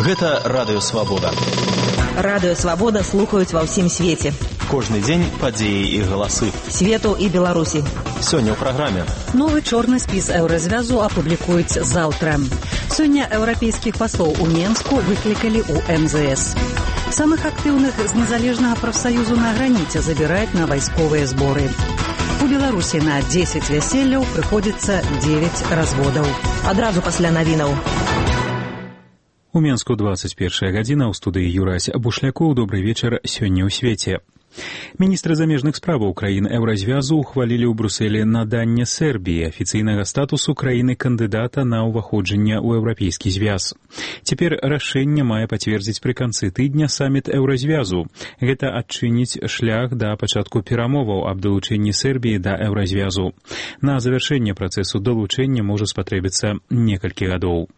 Гэта Радыё Свабода. Радыё Свабода слухаюць ва ўсім свеце. Кожны дзень падзеі і галасы. Свету і Беларусі. Сёння ў праграме. Новы чорны спіс еўразвязу апублікуюць заўтра. Сёння еўрапейскіх паслоў у Менску выклікалі ў МЗС. Самых актыўных з незалежнага прафсаюзу на граніце забіраюць на вайсковыя зборы. У Беларусі на 10 вяселляў прыходзіцца 9 разводаў. Адразу пасля навінаў. У Менску 21 гадзіна, ў студыі Юрась Бушлякоў. Добрый вечар сёння ў свеце. Міністры замежных справаў краін еўразвязу ухвалілі ў Брусэлі наданне Сербіі афіцыйнага статусу краіны-кандыдата на ўваходжанне ў еўрапейскі звяз. Цяпер рашэнне мае пацвердзіць пры канцы тыдня саміт еўразвязу. Гэта адчыніць шлях да пачатку перамоваў аб далучэнні Сербіі да еўразвязу. На завяршэнне працэсу далучэння можа спатрэбіцца некалькі гадоў.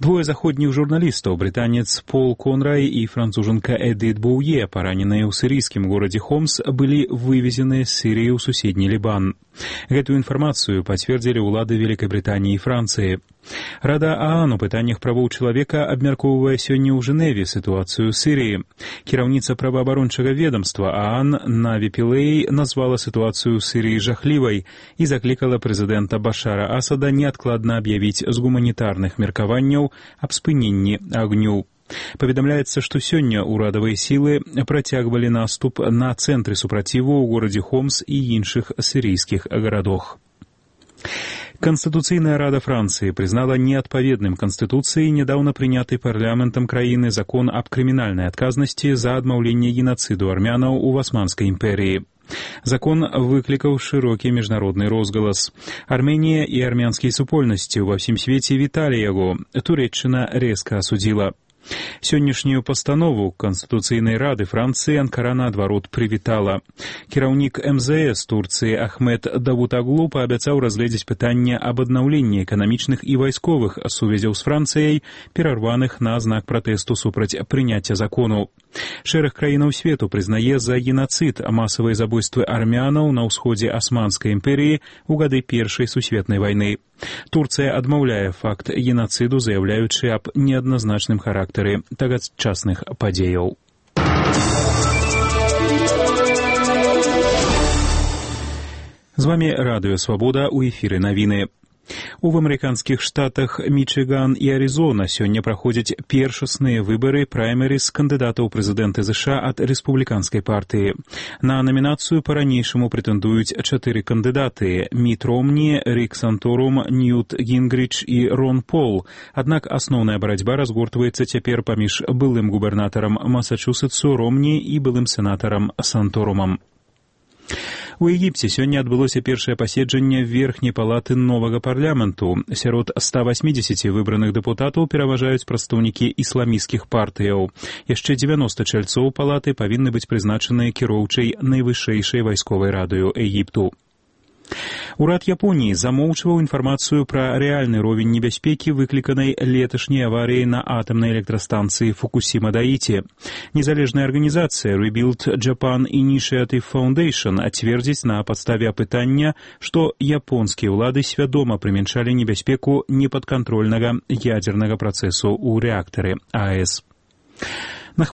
Двое заходніх журналістаў, брытанец Пол Конрай і францужанка Эдит Боуе, параненыя ў сірыйскім горадзе Хомс, былі вывезеныя з Сірыі ў суседні Лібан. Гэтую інфармацыю пацвердзілі ўлады Вялікай Брытаніі і Францыі. Рада ААН у пытаннях правоў чалавека абмяркоўвае сёння ў Жэневе сітуацыю ў Сірыі. Кіраўніца праваабарончага ведамства ААН Наві Пілэй назвала сітуацыю ў Сірыі жахлівай і заклікала прэзідэнта Башара Асада неадкладна аб'явіць з гуманітарных меркаванняў аб спыненні агню. Паведамляецца, што сёння ўрадавыя сілы працягвалі наступ на цэнтры супраціву ў горадзе Хомс і іншых сірыйскіх гарадах. Конституцыйная рада Францыі прызнала неадпаведным Канстытуцыі нядаўна прыняты парламентам краіны закон аб крымінальнай адказнасці за адмаўленне генацыду армянаў у Асманскай імперыі. Закон выклікаў шырокі міжнародны розгалас. Арменія і армянскія супольнасці ва ўсім свеце віталі яго. Турэччына рэзка асудзіла. Сённяшнюю пастанову Канстытуцыйнай рады Францыі Анкара наадварот прывітала. Кіраўнік МЗС Турцыі Ахмед Давутаглу паабяцаў разгледзець пытанне аб аднаўленні эканамічных і вайсковых сувязяў з Францыяй, перарваных на знак пратэсту супраць прыняцця закону. Шэраг краінаў свету прызнае за генацыд масавыя забойствы армянаў на ўсходзе Асманскай імперыі ў гады Першай сусветнай вайны. Турцыя адмаўляе факт генацыду, заяўляючы аб неадназначным характары тагачасных падзеяў. З вамі Радыё Свабода, у эфіры навіны. У амерыканскіх штатах Мічыган і Арызона сёння праходзяць першасныя выбары праймерыз кандыдатаў прэзідэнта США ад рэспубліканскай партыі. На намінацыю па-ранейшаму прэтэндуюць 4 кандыдаты – Міт Ромні, Рік Санторум, Ньют Гінгріч і Рон Пол. Аднак асноўная барацьба разгортваецца цяпер паміж былым губернатарам Масачусетсу Ромні і былым сенатарам Санторумам. У Егіпце сёння адбылося першае паседжанне верхняй палаты новага парламенту. Сярод 180 выбраных дэпутатаў пераважаюць прадстаўнікі ісламісцкіх партыяў. Яшчэ 90 чальцоў палаты павінны быць прызначаныя кіроўчай найвышэйшай вайсковай радаю Егіпту. Урад Японіі замоўчваў інфармацыю пра рэальны ровень небяспекі, выкліканай леташняй аварыяй на атамнай электрастанцыі Фукусіма-Даіці. Незалежная арганізацыя Rebuild Japan Initiative Foundation ацвердзіць на падставе апытання, што японскія ўлады свядома прымяншалі небяспеку непадкантрольнага ядзернага працэсу ў рэактары АЭС.